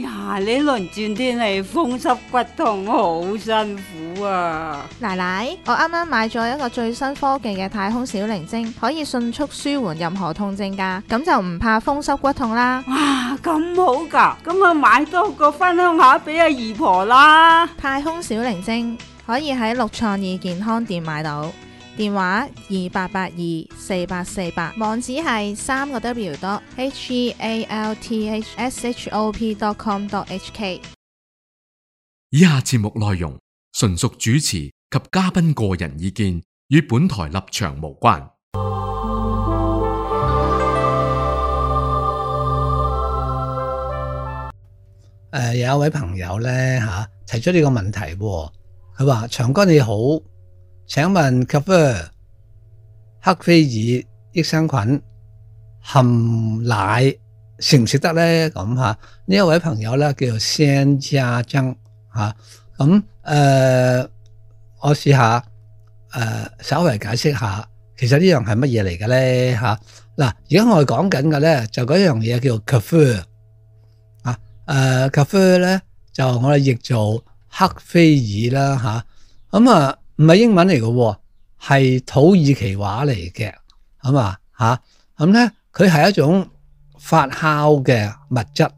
呀，呢輪轉天氣風濕骨痛好辛苦啊！奶奶，我啱啱買咗一個最新科技嘅太空小靈精，可以迅速舒緩任何痛症㗎，咁就唔怕風濕骨痛啦。哇，咁好㗎，咁啊買多個分享下俾阿姨婆啦。太空小靈精可以喺六創意健康店買到，電話28824848，網址係www.healthshop.com.hk。以下節目內容純屬主持及嘉賓個人意見，與本台立場無關。有一位朋友咧提出呢個問題喎，佢話：長哥你好，請問 Kefir 黑菲爾益生菌含奶食唔食得咧？咁呢一位朋友咧叫做仙家珍咁我試下稍微解釋下，其實呢樣係乜嘢嚟嘅咧嗱，而家我哋講緊嘅咧就嗰樣嘢叫做 Kefir Kefir 咧就我哋譯做黑菲爾啦咁唔係英文嚟嘅，係土耳其話嚟嘅，咁咧佢係一種發酵嘅物質，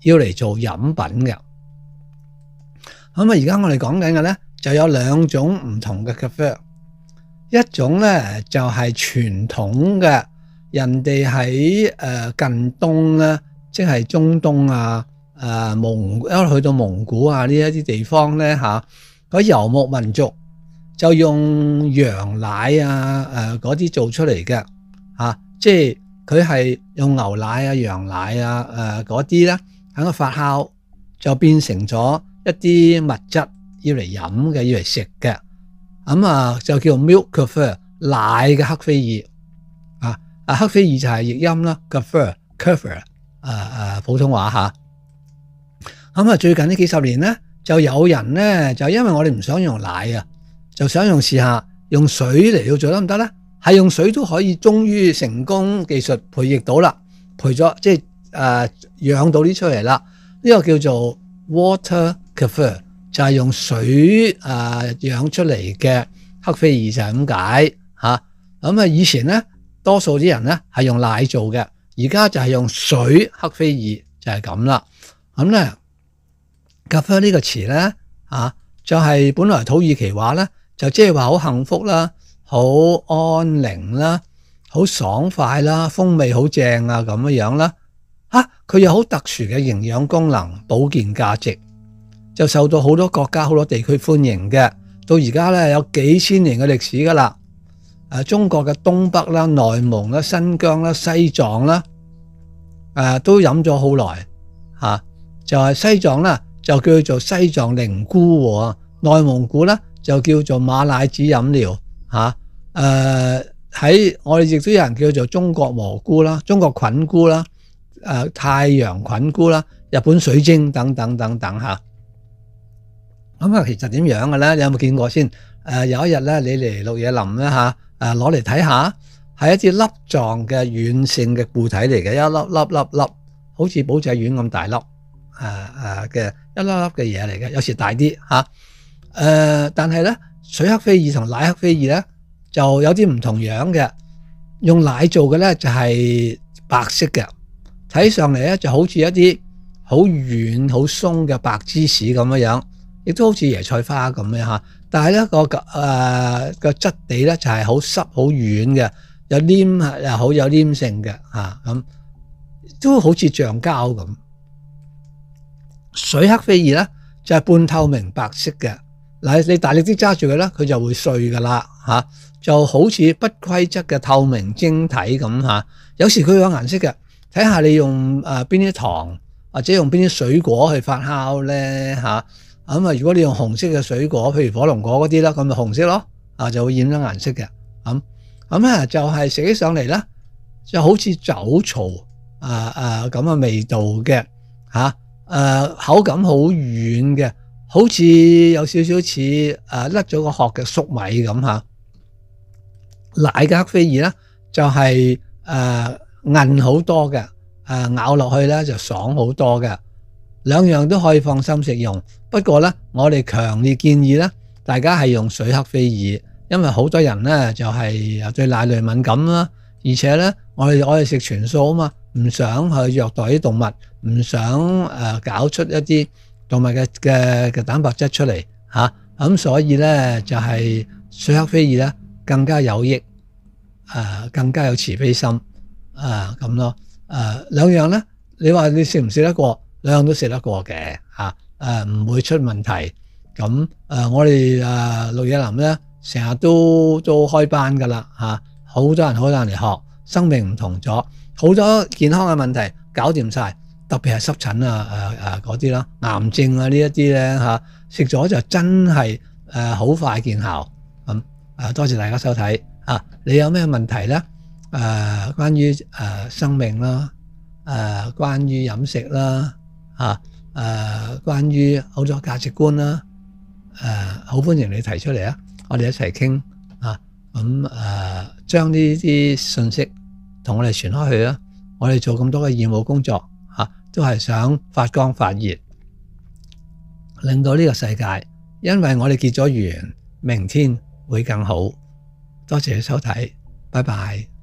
要嚟做飲品嘅。而家我哋講緊嘅咧就有兩種唔同嘅 Kefir， 一種咧就係傳統嘅，人哋喺近東咧，即係中東去到蒙古呢一啲地方咧嗰遊牧民族就用羊奶嗰啲做出嚟嘅即係佢係用牛奶羊奶嗰啲咧喺個發酵就變成咗一啲物質要嚟飲嘅，要嚟食嘅，就叫 milk Kefir 奶嘅黑菲爾黑菲爾就係譯音啦 Kefir 普通話最近呢幾十年咧就有人咧就因為我哋唔想用奶就想試下用水嚟到做得唔得咧？係用水都可以，終於成功技術培育到啦，培咗即係養到啲出嚟啦。呢個叫做 water Kefir， 就係用水養出嚟嘅黑菲爾就係咁解咁以前咧多數啲人咧係用奶做嘅，而家就係用水黑菲爾就係咁啦。咁咧 Kefir 呢個詞咧就係本來土耳其話咧就即係話好幸福啦，好安寧啦，好爽快啦，風味好正咁樣啦佢有好特殊嘅營養功能、保健價值，就受到好多國家好多地區歡迎嘅。到而家咧有幾千年嘅歷史噶啦中國嘅東北啦、內蒙啦、新疆啦、西藏啦都飲咗好耐就係西藏啦就叫做西藏靈菇內蒙古咧就叫做馬奶子飲料喺我哋亦都有人叫做中國蘑菇啦、中國菌菇啦、太陽菌菇啦、日本水晶等等等等其實點樣嘅咧？你有冇見過先？有一日咧，你嚟綠野林咧攞嚟睇下，係一啲粒狀嘅軟性嘅固體嚟嘅，一粒粒，好似寶仔丸咁大粒嘅一粒粒嘅嘢嚟嘅，有時大啲但係咧水黑菲爾同奶黑菲爾咧就有啲唔同樣嘅，用奶做嘅咧就係白色嘅，睇上嚟咧就好似一啲好軟好鬆嘅白芝士咁樣，亦都好似椰菜花咁樣但係咧個質地咧就係好濕好軟嘅，有黏又好有黏性嘅咁，都好似橡膠咁。水黑菲爾咧就係半透明白色嘅，你大力啲揸住佢咧，佢就會碎噶啦就好似不規則嘅透明晶體咁有時佢有顏色嘅，睇下你用邊啲糖或者用邊啲水果去發酵咧如果你用紅色嘅水果，譬如火龍果嗰啲啦，咁咪紅色咯就會染咗顏色嘅咁就係食起上嚟咧就好似酒槽咁嘅味道嘅口感好軟嘅，好似有少少似甩咗個殼嘅粟米咁奶嘅黑菲爾咧就係韌好多嘅，咬落去咧就爽好多嘅。兩樣都可以放心食用。不過咧，我哋強烈建議咧，大家係用水黑非爾，因為好多人咧就係對奶類敏感啦，而且咧我哋食全素啊嘛，唔想去虐待啲動物，唔想搞出一啲動物嘅蛋白質出嚟嚇，咁所以咧就係水黑非爾咧更加有益，更加有慈悲心咁咯。兩樣咧，你話你食唔食得過？兩樣都食得過嘅嚇，唔會出問題。咁我哋綠野林咧成日都開班噶啦嚇，好多人嚟學，生命唔同咗，好多健康嘅問題搞掂晒，特別係濕疹嗰啲啦，癌症呢一啲咧嚇，食咗就真係好快見效。咁多謝大家收睇你有咩問題咧？關於生命啦，關於飲食啦，關於好多價值觀啦，好歡迎你提出嚟啊！我哋一齊傾咁將呢啲信息同我哋傳開去啦。我哋做咁多嘅義務工作都係想發光發熱，令到呢個世界，因為我哋結咗緣，明天會更好。多謝你收睇，拜拜。